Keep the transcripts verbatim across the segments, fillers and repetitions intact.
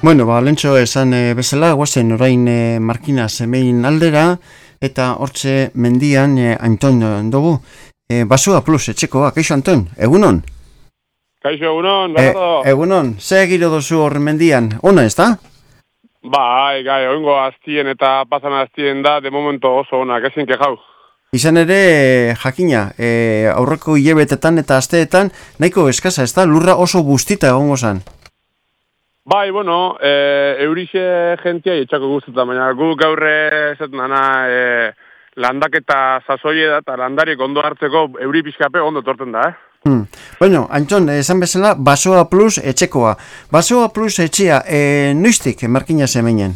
Bueno, ba, lentxo esan e, bezala, guazen orain e, Markina zemein aldera, eta hortze mendian e, Anton dugu. E, Basoa Plus, etxekoa, kaixo Anton, egunon? Kaixo, egunon, E, berrato. egunon, ze giro dozu hor mendian, ona ez da? Bai, gai, oingo aztien eta pasan aztien da, de momento oso onak, ezin kejau. Izan ere, jakina, e, aurreko hilebetetan eta asteetan, nahiko eskasa ez da, lurra oso bustita egongo zan. Bai, bueno, e, eurixe jentia etxako guztetan, baina gu gaurre esaten dana e, landaketa sasoie da, eta landarik ondo hartzeko euri pixkape ondo torten da, eh? Hmm. Bueno, Anton, esan bezala, Basoa Plus etxekoa. Basoa Plus etxea, e, noiztik Markina zemeinen?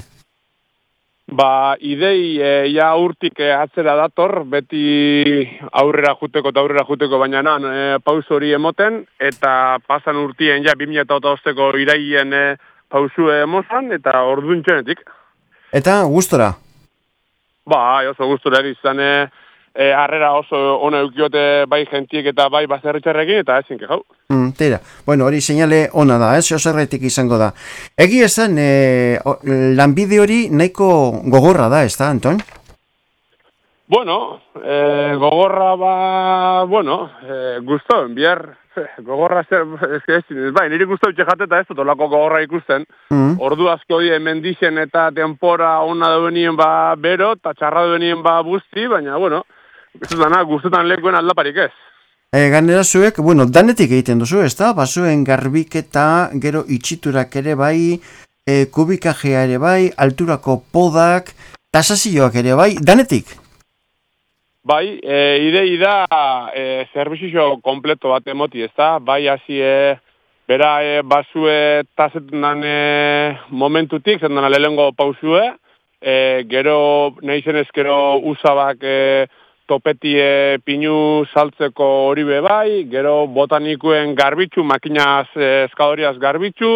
Ba, idei e, ja urtik e, atzera dator, beti aurrera juteko eta aurrera juteko, baina nan e, pauso hori emoten, eta pasan urtien ja bi mila hosteko iraien e, pausu emozan, eta orduan txenetik. Eta gustora? Ba, oso gustura izan e, e, harrera oso ona eukiote bai gentiek eta bai bazerritxarrekin, eta ezin kejau. Mm, tira, bueno, hori seinale ona da, ez, oserretik izango da. Egi esan, e, lanbide hori nahiko gogorra da, ez da, Anton? Bueno, e, gogorra ba, bueno, e, guztoen, bihar, gogorra zer, ez, ez, ez, bai, niri guztau txejateta ez dut olako gogorra ikusten. Mm. Ordu asko die mendixen eta tempora ona duenien ba bero, eta txarra duenien ba busti, baina, bueno, guztetan, guztetan lekuen aldaparik ez. E, ganera zuek, bueno, danetik egiten duzu, ez da? Basuen garbiketa, gero itxiturak ere bai, e, kubikajea ere bai, alturako podak, tasazioak ere bai, danetik? Bai, e, idei da e, zerbizio kompleto bat emoti, ez da? Bai, hasi e, bera e, basue tazetan dan e, momentutik, zendan lehengo pausue, e, gero, nahi zenez, gero usabak e, topetie pinu saltzeko hori be bai, gero botanikuen garbitzu, makinaz e, eskadoriaz garbitzu,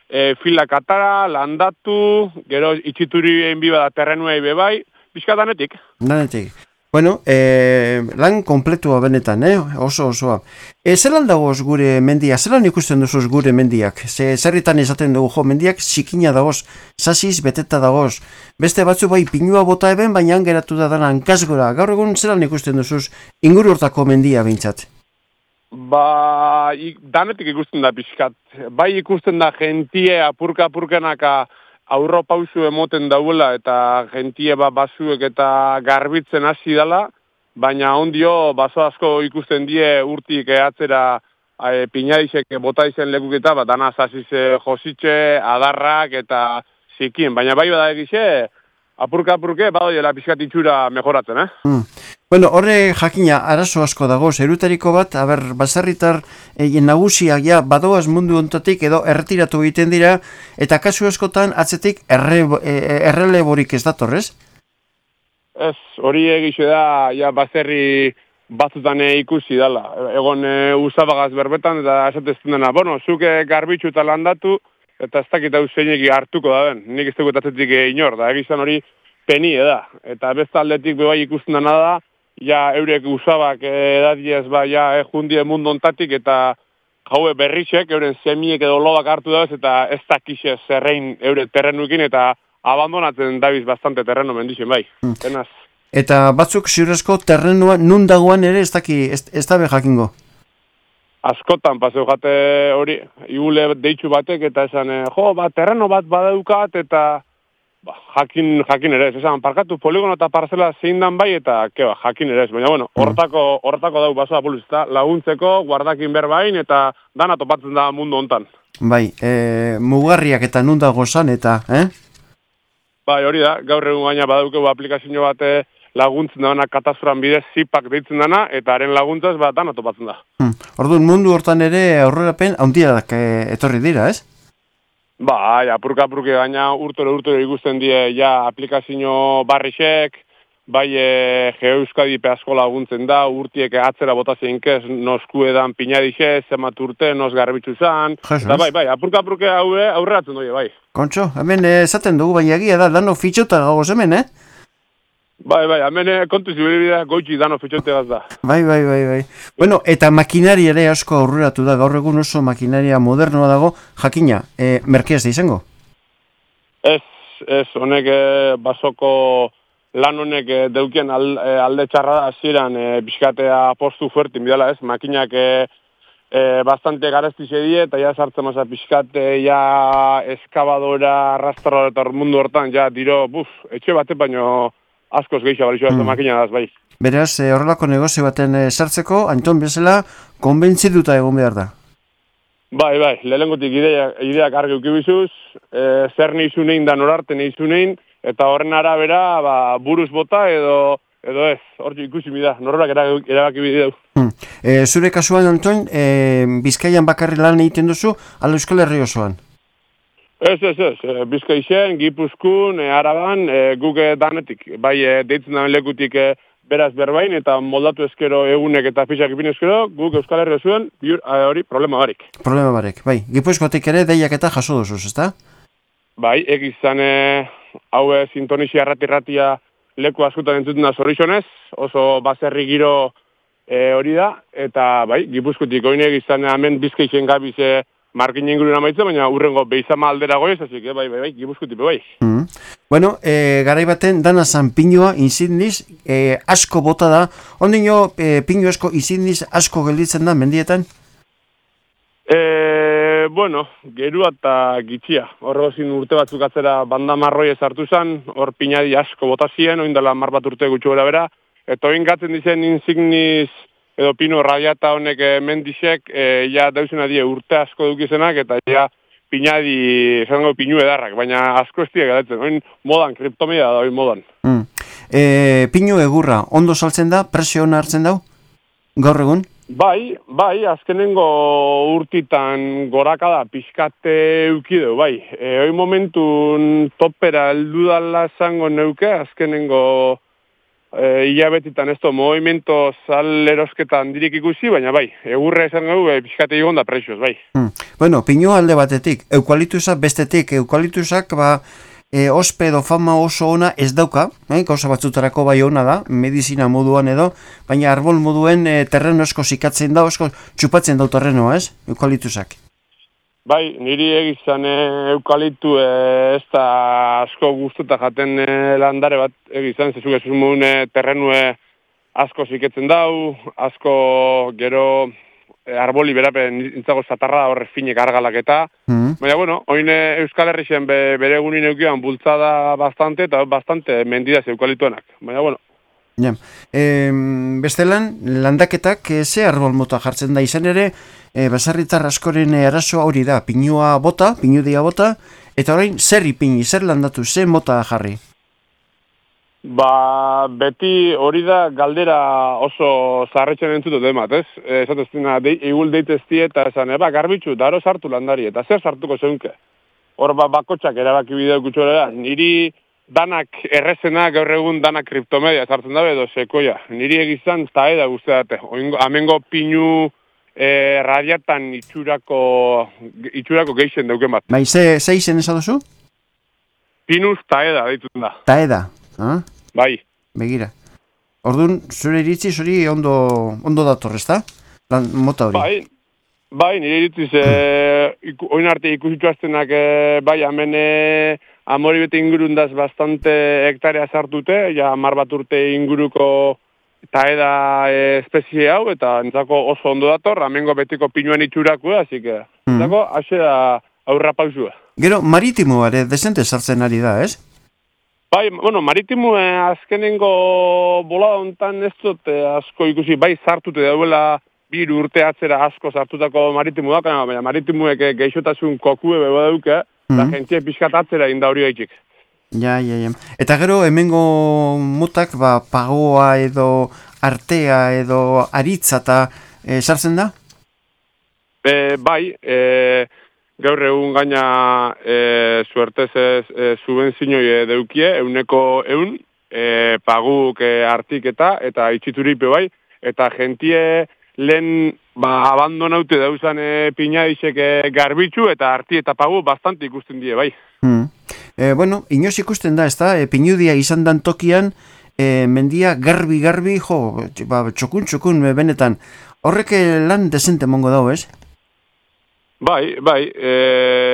e, filak atara, landatu, gero itxituri egin biba da terrenuei be bai, pixka danetik. Danetik. Bueno, e, lan kompletua benetan, eh? oso osoa. E, zelan dagoz gure mendia, zelan ikusten duzuz gure mendiak? Ze, zerritan izaten dugu, jo, mendiak zikina dagoz, sasiz beteta dagoz. Beste batzu bai pinua bota eben, baina geratu da dana hankasgora. Gaur egun zelan ikusten duzuz inguru hortako mendia behintzat? Ba, ik, danetik ikusten da pixkat. Bai ikusten da jentie apurka-apurkenaka aurro pausu emoten dauela eta jentie ba basuek eta garbitzen hasi dala, baina ondio baso asko ikusten die urtik eatzera e, pinaizek bota izen lekuketa, bat dana zasize jositxe, adarrak eta zikien, baina bai bada egize, apurka-apurke badoiela pixkat itxura mejoratzen, eh? Mm. Bueno, horre jakina arazo asko dago, zerutariko bat, aber, baserritar e, nagusiak ja badoaz mundu ontatik edo erretiratu egiten dira, eta kasu askotan atzetik erre, e, erreleborik ez datorrez? Ez, hori egixe da, ja baserri batzutan ikusi dala. Egon e, usabagaz berbetan, eta esatezten dena, bueno, zuke garbitzu eta landatu, eta ez dakit hau zeinek hartuko da ben, nik ez dugu atzetik inor, da egizan hori penie da. Eta besta aldetik bebai ikusten dena da, ja eurek usabak edadiez ba ja ejundie mundu ontatik eta jaue berritxek euren semiek edo lobak hartu dauz eta ez dakixe zerrein eure terrenuekin eta abandonatzen dabiz bastante terreno mendixen bai. Hmm. Penaz. Eta batzuk ziurezko terrenua nun dagoan ere ez daki, ez, ez dabe jakingo? Askotan paseu jate hori, igule deitxu batek eta esan, jo, ba, terreno bat badaukat eta Ba, jakin, jakin ere ez, esan, parkatu poligono eta parzela zein dan bai, eta, keba, jakin ere ez, baina, bueno, hortako, hortako dau Basoa Plus, eta laguntzeko, guardakin berbain, eta dana topatzen da mundu hontan. Bai, e, mugarriak eta nunda gozan, eta, eh? Bai, hori da, gaur egun baina badaukegu aplikazio bate laguntzen dana katastroan bidez zipak deitzen dana, eta haren laguntzaz, ba, dana topatzen da. Hmm. Orduan, mundu hortan ere aurrerapen handiak e, etorri dira, ez? Ba, ja, apurka-apurke gaina urtore urtore ikusten die ja aplikazio barrixek, bai e, Geoeuskadi pe asko laguntzen da, urtiek atzera bota zeinkez, nosku edan pinadixe, zemat urte, nos garbitzu zan, eta bai, bai, apurka-apurke haue aurreratzen doi, bai. Kontxo, hemen esaten dugu, baina egia da, dano fitxota gagoz hemen, eh? Bai, bai, hemen kontu zibiribidea goitxi dano fitxote gaz da. Bai, bai, bai, bai. Bueno, eta makinaria ere asko aurreratu da, gaur egun oso makinaria modernoa dago, jakina, e, merkeaz da izango? Ez, ez, honek e, basoko lan honek e, deukien al, e, alde txarra da hasieran e, pixkatea postu fuertin bidala ez, makinak e, e, bastante garezti die eta ja sartzen maza pixkate, ja eskabadora, arrastradora eta mundu hortan, ja diro, buf, etxe bate baino askoz gehiago balixo mm. makina daz, bai. Beraz, e, horrelako negozio baten e, sartzeko, Anton bezala, konbentzituta egon behar da. Bai, bai, lehenengotik idea, ideak argi ukibizuz, e, zer nizu nein da norarte nizu nein, eta horren arabera ba, buruz bota edo edo ez, hor ikusi mida, norrak erabaki bideu. Hmm. E, zure kasuan, Anton, e, Bizkaian bakarri lan egiten duzu, ala Euskal Herri osoan? Ez, ez, ez, e, Bizkaixen, Gipuzkun, e, Araban, e, guk danetik, bai, e, deitzen da lekutik e, beraz berbain, eta moldatu ezkero egunek eta fixak ipin ezkero, guk Euskal Herri zuen, hori problema barik. Problema barik, bai. Gipuzkoatik ere deiak eta jaso duzuz, ezta? Bai, egizan e, hau e, sintonixia errati-erratia leku askotan entzutena zorrizonez, oso baserri giro e, hori da, eta bai, Gipuzkoatik oin egizan hemen Bizkaixen gabiz e, markin inguruen amaitzen, baina urrengo beizama aldera goiz, así que bai, bai, bai, Gipuzkoatik bai. Mm. Bueno, e, garai baten dana zan pinua insigniz e, asko bota da. Ondino e, pinu asko insigniz asko gelditzen da mendietan? E, bueno, gerua eta gitxia. Horrezin urte batzuk atzera banda marroi ezartu zen, hor pinadi asko bota ziren, oindala mar bat urte gutxu bera bera, eta oin gatzen dizen insigniz edo pino radiata honek e, mendixek, e, ja dauzena die urte asko dukizenak, eta ja pinadi, zango pinu edarrak, baina asko ez diak edatzen, oin modan, kriptomia da, oin modan. Mm. E, pinu egurra, ondo saltzen da, presio hona hartzen dau, gaur egun? Bai, bai, azkenengo urtitan goraka da, pixkate eukideu, bai. E, oin momentun topera eldudala zango neuke, azkenengo e, hilabetitan ez to, movimento salerosketan dirik ikusi, baina bai, egurre esan gau, e, pixkate egon da presioz, bai. Hmm. Bueno, pinu alde batetik, eukalitusak bestetik, eukalitusak, ba, e, ospe edo fama oso ona ez dauka, eh? Gauza batzutarako bai ona da, medizina moduan edo, baina arbol moduen e, terreno esko zikatzen da, esko txupatzen dau terrenoa, ez? Eukalitusak. Bai, niri egizan e, eukalitu e, ez da asko guztuta jaten e, landare bat egizan, zezuk ez uzun e, terrenue asko ziketzen dau, asko gero e, arboli berapen nintzago zatarra horre finek argalak eta, mm. baina bueno, oin Euskal Herrixen be, bere egunin eukian bultzada bastante eta bastante mendidaz eukalituenak, baina bueno. Ja. E, bestelan, landaketak e, ze arbol mota jartzen da izan ere, e, basarritar askoren arazoa hori da, pinua bota, pinudia bota, eta orain zer ipini, zer landatu, ze mota jarri? Ba, beti hori da galdera oso zaharretxen entzutu demat, ez? Esat ez dina, de, igul deitezti eta esan, eba, garbitxu, daro sartu landari, eta zer sartuko zeunke? Hor ba, bakotxak erabaki bideo kutxorera, niri danak errezena gaur egun danak kriptomedia sartzen dabe edo sekoia. Niri egizan taeda guztiate. Amengo pinu e, radiatan itxurako, itxurako geixen dauken bat. Bai, ze, ze izen eza duzu? Pinuz taeda ditut da. Taeda, ah? Bai. Begira. Orduan, zure iritzi hori ondo, ondo dator, ezta? Lan mota hori. Bai, bai, nire iritziz, e, iku, oin arte ikusitzu aztenak, e, bai, hemen e, amori bete ingurundaz bastante hektarea sartute, ja mar bat urte inguruko taeda e, espezie hau, eta entzako oso ondo dator, amengo betiko pinuan itxurakua, así que, entzako, mm. haxe da aurra pausua. Gero, maritimo ere desente sartzen ari da, ez? Bai, bueno, maritimo eh, azkenengo bolada hontan ez dut eh, asko ikusi, bai sartute dauela biru urte atzera asko sartutako maritimo da, baina maritimuek eh, geixotasun kokue beba dauke, eta mm. jentie pixkat atzera inda hori gaitxik. Ja, ja, ja. Eta gero, hemengo motak, ba, pagoa edo artea edo aritza eta e, sartzen da? E, bai, e, gaur egun gaina e, suertez ez e, subvenzinoi deukie, euneko eun, e, paguk e, artik eta, eta itxituripe bai, eta jentie lehen ba, abandonaute dauzan e, pinaizek e, garbitzu eta arti eta pagu bastante ikusten die bai. Hmm. E, bueno, inoz ikusten da, ez da, e, pinudia izan dan tokian, e, mendia garbi-garbi, jo, ba, txokun-txokun benetan, horrek lan desente mongo dago, ez? Bai, bai, e,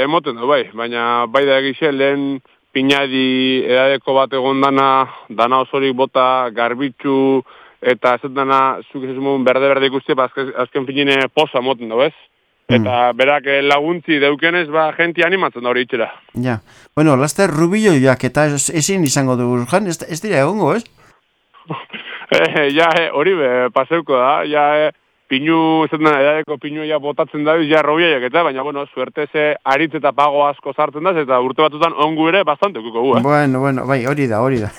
emoten du, bai, baina bai da egixe lehen pinadi edadeko bat egon dana, dana osorik bota, garbitzu, eta ez dana, zuk ez mogun berde-berde ikusti, ba, azken, azken finine posa moten dago, ez? Eta mm. berak laguntzi deukenez, ba, jenti animatzen da hori itxera. Ja, bueno, laster rubilloiak eta ezin izango dugu, jan, ez, ez dira egongo, ez? e, ja, hori be, paseuko da, ja, e, pinu, ez dena, edadeko pinu ja botatzen da, ja rubilloiak eta, baina, bueno, suerte ze aritz eta pago asko sartzen da, eta urte batutan ongu ere bastante ukuko gu, eh? Bueno, bueno, bai, hori da, hori da.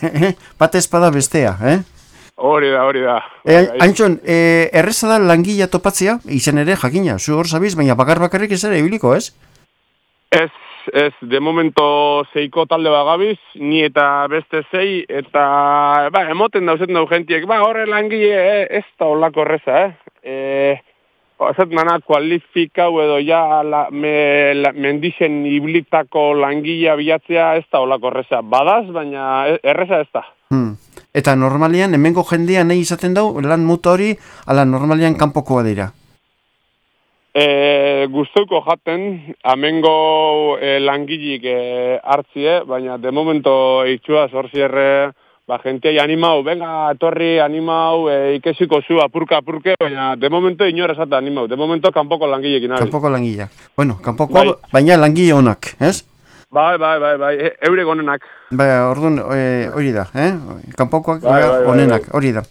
Bat ezpada bestea, eh? Hori da, hori da. E, Antxon, e, erreza da langila topatzea, izan ere, jakina, zu hor zabiz, baina bakar bakarrik ez ere ibiliko, ez? Ez, ez, de momento zeiko talde bagabiz, ni eta beste zei, eta, ba, emoten dauzet dau gentiek, ba, horre langile, eh, ez da holako erreza, eh? E, ez nana, kualifikau edo ja la, me, la, mendixen iblitako langilea bilatzea ez da holako erreza. Badaz, baina erreza ez da. Hmm. Eta normalian, hemengo jendea nahi izaten dau, lan muta hori, ala normalian kanpokoa dira? E, guztuko jaten, hemengo e, langilik e, hartzie, baina de momento itxua zorzierre, ba, jenteai animau, venga, etorri, animau, e, ikesiko zu, apurka, apurke, baina de momento inor esate animau, de momento kanpoko langilekin. Kanpoko langileak. Bueno, kanpoko, bai. Baina langile honak, ez? Bai, bai, bai, bai, e, eurek onenak. Bai, orduan, e, hori da, eh? Kanpokoak bai, bai, onenak, hori da.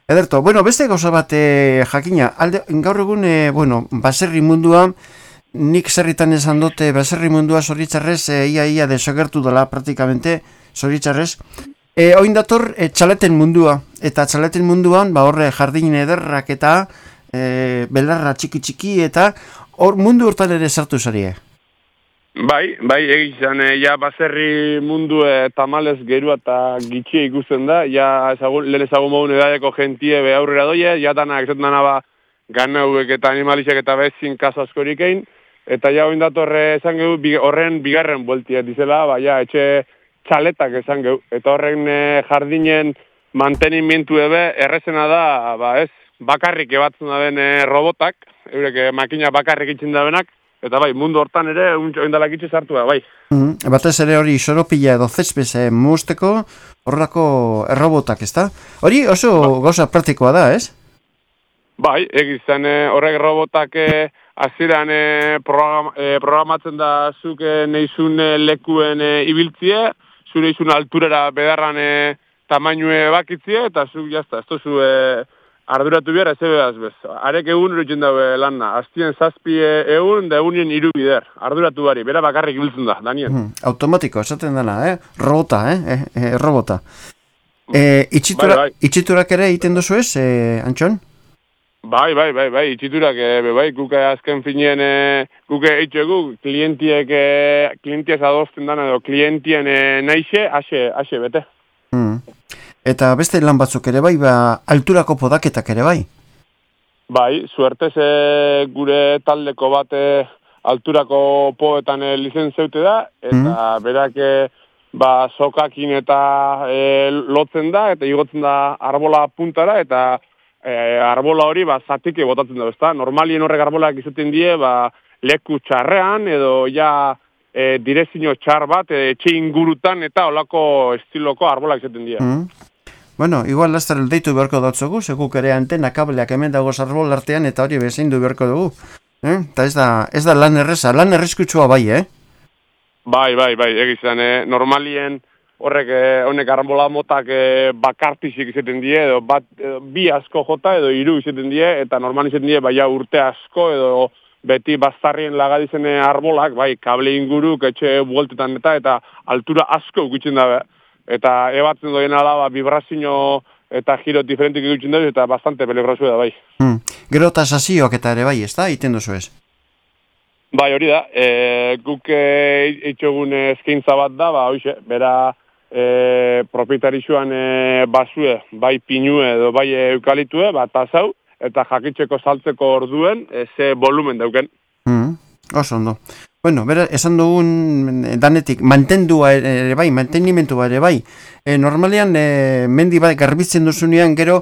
Ederto, bueno, beste gauza bat e, jakina, alde, gaur egun, e, bueno, baserri mundua, nik zerritan esan dute, baserri mundua zoritzarrez, e, ia ia desagertu dela praktikamente, zoritzarrez. E, oin dator, e, txaleten mundua, eta txaleten munduan, ba horre jardin ederrak eta e, belarra txiki-txiki, eta hor mundu hortan ere sartu zarie. Bai, bai, egizan, e, ja baserri mundu e, tamalez gerua eta gitxie ikusten da, ja ezagun, lehen ezagun mogun edadeko gentie be aurrera doie, ja danak esaten dana ba ganauek eta animalizek eta bezin kaso askorik egin, eta ja oin datorre esan gehu bi, horren bigarren bueltia dizela, ba ja etxe txaletak esan gehu, eta horren e, jardinen mantenimentu ebe errezena da, ba ez, bakarrik ebatzen da den e, robotak, eurek e, makina bakarrik itxin da benak, eta bai, mundu hortan ere, oindalak itxe sartu da, bai. Mm-hmm. Batez ere hori soropila edo zespese musteko horrelako errobotak, ezta? Hori oso ba. Gauza praktikoa da, ez? Bai, egizan horrek robotak aziran e, program, e, programatzen da zuke neizun lekuen e, ibiltzie, zu neizun alturera bedarran e, tamainue bakitzie, eta zu jazta, ez tozu e, arduratu behar, ez ebedaz bez. Arek egun erutzen daue lanna. Aztien zazpi egun, da egunien iru bider. Arduratu bari, bera bakarrik ibiltzen da, Daniel. Hmm, automatiko, esaten dena, eh? Robota, eh? eh, eh robota. Eh, itxitura, bai, bai. Itxiturak ere egiten duzu ez, eh, Antxon? Bai, bai, bai, bai, itxiturak, eh, bai, guke azken finien, eh, guke eitxegu, klientiek, eh, klientiek adosten dana, edo klientien eh, naixe, ase, ase bete. Hmm. Eta beste lan batzuk ere bai, ba, alturako podaketak ere bai? Bai, suertez e, gure taldeko bate alturako poetan e, lizentzeute da, eta mm. berak e, ba, sokakin eta e, lotzen da, eta igotzen da arbola puntara, eta e, arbola hori ba, zatike botatzen da, ezta? Normalien horrek arbolak izaten die, ba, leku txarrean, edo ja e, direzio txar bat, e, etxe ingurutan, eta olako estiloko arbolak izaten die. Mm. Bueno, igual laster deitu beharko datzugu, seguk ere antena kableak hemen dago arbol artean eta hori bezain du beharko dugu. Eh? Eta ez da, ez da lan erreza, lan errizkutsua bai, eh? Bai, bai, bai, egizan, eh? Normalien horrek, eh, honek arbola motak eh, bakartizik izaten die, edo bat, edo, bi asko jota edo hiru izaten die, eta normal izaten die, bai, urte asko, edo beti bastarrien lagadizen arbolak, bai, kable inguruk, etxe bueltetan eta, eta altura asko ukitzen da, eta ebatzen doien alaba vibrazio eta giro diferentik ikutzen dugu, eta bastante peligrosu da, bai. Hmm. Gero eta sasioak eta ere bai, ez da? Iten duzu ez? Bai, hori da. E, guk eitxogun eskaintza bat da, ba, hoxe, bera e, propietarixuan e, basue, bai pinue edo bai eukalitue, bat tasau, eta jakitzeko saltzeko orduen, e, ze volumen dauken. Hmm. Oso ondo. Bueno, bera, esan dugun danetik, mantendua ere bai, mantenimentua ere bai. E, normalean, e, mendi bai, garbitzen duzunean, gero,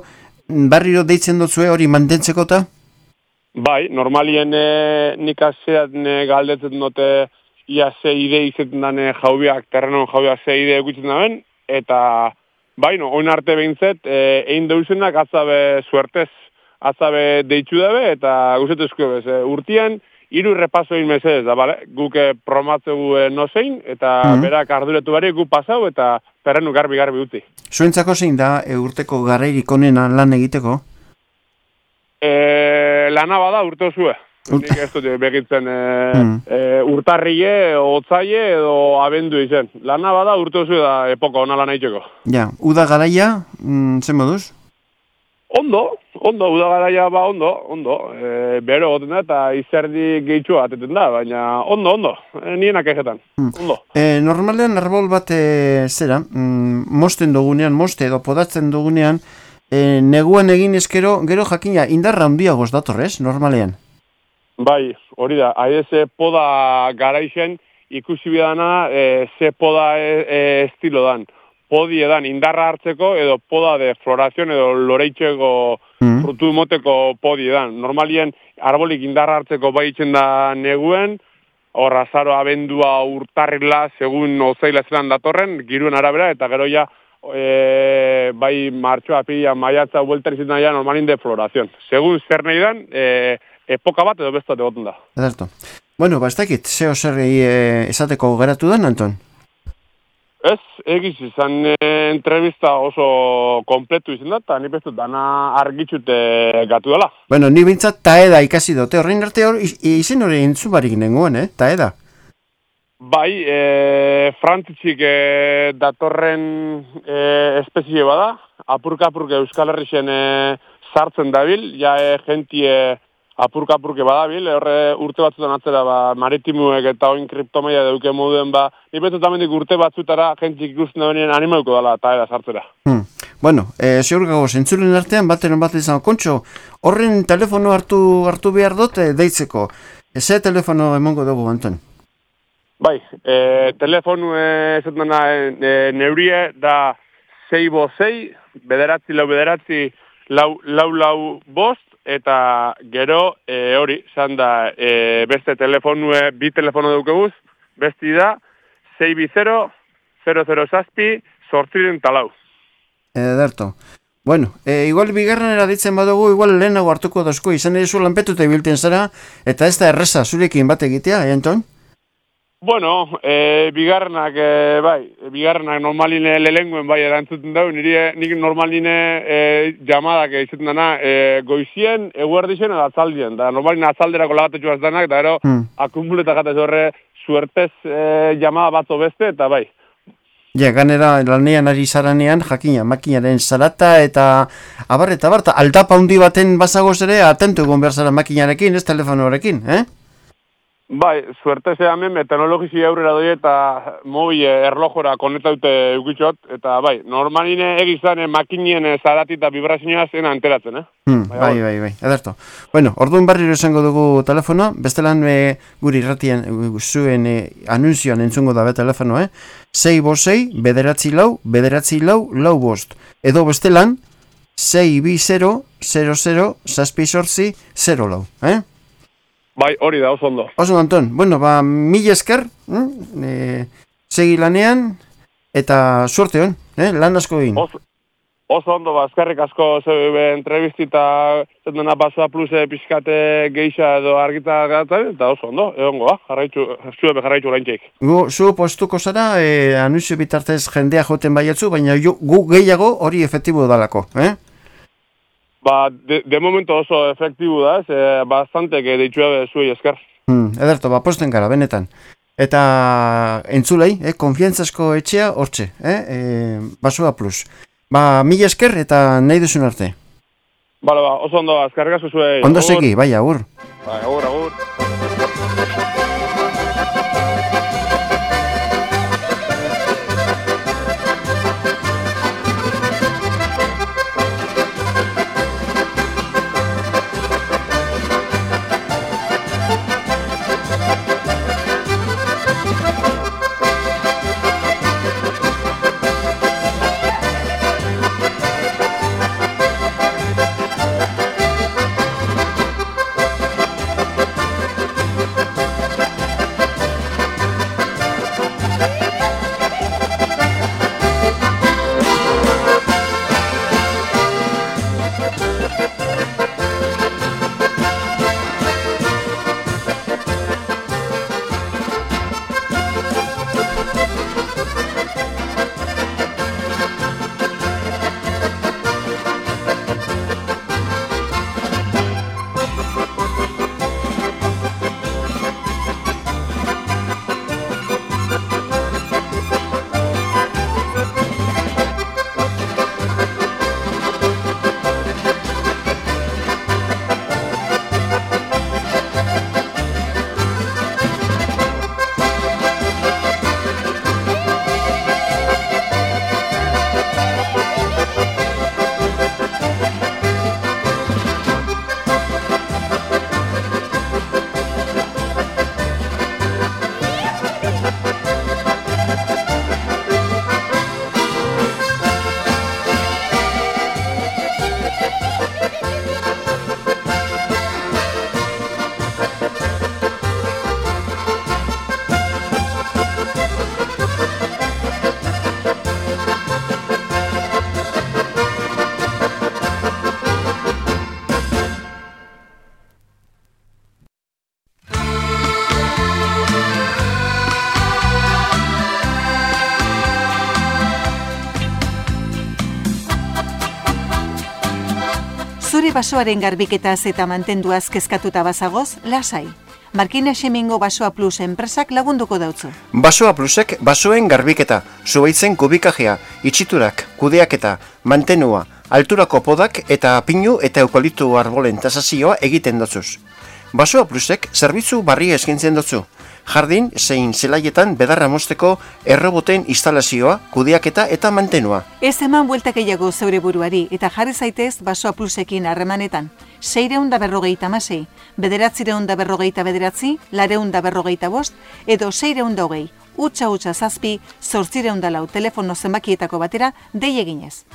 barriro deitzen duzue hori mantentzeko ta? Bai, normalien e, nik asean e, galdetzen dute ia ze ide izaten dane jaubiak, terrenon jaubiak ze ide egutzen daben, eta baino, oin arte behintzet, e, egin deusenak atzabe suertez, atzabe deitxu dabe, eta guzetuzko bez, e, urtien, hiru repaso egin mesedez, da, bale? Guk e, promatzegu e, nozein, eta mm -hmm. berak arduretu bari gu pasau, eta terrenu garbi-garbi uti. Zuentzako zein da e, urteko garairik onena lan egiteko? E, lana bada urte osue. Nik ez dut begitzen e, mm. e, urtarrie, otzaie edo abendu izen. Lana bada urte osue da epoko ona lan egiteko. Ja, uda garaia, mm, zen moduz? Ondo, ondo, uda garaia ba ondo, ondo. E, bero goten da eta izerdi gehitxua ateten da, baina ondo, ondo. E, nienak egetan, mm. ondo. E, normalean arbol bat e, zera, mm, mosten dugunean, moste edo podatzen dugunean, e, neguan egin eskero, gero jakina indarra handiagoz datorrez, normalean? Bai, hori da, haide ze poda garaixen ikusi bidana e, ze poda e, e, estilo dan. Podi edan indarra hartzeko edo poda de florazion edo loreitzeko mm. frutu moteko podi edan. Normalien arbolik indarra hartzeko baitzen da neguen, hor azaro abendua urtarrila segun ozaila zelan datorren, giruen arabera, eta gero ja e, bai martxoa, apila, maiatza, bueltan izaten da ja normalin de florazion. Segun zer nahi dan, e, epoka bat edo bestate goten da. Ederto. Bueno, ba, ez dakit, zeo zerri e, esateko geratu den, Anton? Ez, egiz izan e, entrevista oso kompletu izan da, eta ni bestu dana argitxute gatu dela. Bueno, ni bintzat taeda ikasi dute, horrein arte hor, izen hori entzubarik nengoen, eh? Taeda. Bai, e, frantzitzik e, datorren e, espezie bada, apurka-apurka Euskal Herrixen e, sartzen dabil, ja e, gentie apurka-apurke badabil, horre urte batzutan atzera ba, maritimuek eta oin kriptomaia deuke moduen, ba, nipetu tamendik urte batzutara jentzik ikusten da benien animauko dela eta eda sartzera. Hmm. Bueno, e, ziur gago, zentzulen artean bateron bat izan, Kontxo, horren telefono hartu hartu behar dute deitzeko. Eze telefono emongo dugu, Anton? Bai, e, telefonu esaten dena e, neurie da sei bo sei, bederatzi lau bederatzi lau lau lau bost, eta gero e, hori, zan da e, beste telefonue, bi telefono dukeguz, besti da sei bi zero, zero zero zazpi, sortziren talau. Ederto. Bueno, e, igual bigarrenera ditzen badugu, igual lehenago hartuko dozko, izan ere zu lanpetuta ibilten zara, eta ez da erreza zurekin bat egitea, eh, Anton? Bueno, e, bigarrenak, e, bai, bigarrenak normaline lelenguen bai erantzuten dau, nire nik normaline e, jamadak izaten dana e, goizien, eguerdixen edo atzaldien, da normaline atzalderako lagatetxu azdanak, da ero hmm. akumuletak atez horre suertez e, jamada batzo beste, eta bai. Ja, ganera lanean ari zaranean, jakina, makinaren zarata eta abar eta barta, aldapa handi baten bazagoz ere, atentu egon behar zara makinarekin, ez telefonorekin, eh? Bai, suerte ze hemen teknologisi aurrera doi eta mobi erlojora konetaute eukitxot, eta bai, normaline egizan makinien zarati eta vibrazioa zen anteratzen, eh? Hmm, bai, bai, bai, ederto. Bueno, orduan barriro esango dugu telefono, bestelan e, guri irratian zuen e, anunzioan entzungo dabe telefono, eh? sei bo sei, bederatzi lau, bederatzi lau, lau bost. Edo bestelan, sei bi zero, zero zero, zazpi sortzi, zero lau, eh? Bai, hori da, oso ondo. Oso, Anton, bueno, ba, mila esker, hm? e, segi lanean, eta suerte hon, eh? Lan asko egin. Oso, oso ondo, ba, eskerrik asko zebe entrevistita, zetena Basoa Plus pixkate geixa edo argita gatzen, eta oso ondo, egongo, ba, jarraitzu, zuebe jarraitzu laintxeik. Gu, zu postuko zara, e, anunzio bitartez jendea joten baiatzu, baina jo, gu gehiago hori efektibo dalako, eh? Ba, de, de momento oso efektibu da, ez, e, bastante que deitxua zuei esker. Hmm, ederto, ba, posten gara, benetan. Eta entzulei, eh, konfiantzasko etxea hortxe, eh, e, Basoa Plus. Ba, mila esker eta nahi duzun arte. Bale, ba, oso ondo, eskerrik asko zuei. Ondo segi, bai, agur. Bai, agur, agur. Zure basoaren garbiketaz eta mantenduaz kezkatuta bazagoz, lasai. Markina Xemingo Basoa Plus enpresak lagunduko dautzu. Basoa Plusek basoen garbiketa, zuhaitzen kubikajea, itxiturak, kudeaketa, mantenua, alturako podak eta pinu eta eukaliptu arbolen tasazioa egiten dotzuz. Basoa Plusek zerbitzu barria eskintzen dotzu. Jardin zein zelaietan bedarra mozteko erroboten instalazioa, kudeaketa eta mantenua. Ez eman bueltak gehiago zeure buruari eta jarri zaitez Basoa Plusekin harremanetan. Seireun da berrogeita amasei, bederatzireun da berrogeita bederatzi, lareun da berrogeita bost, edo seireun da hogei, utxa utxa zazpi, zortzireun da lau telefono zenbakietako batera dei eginez.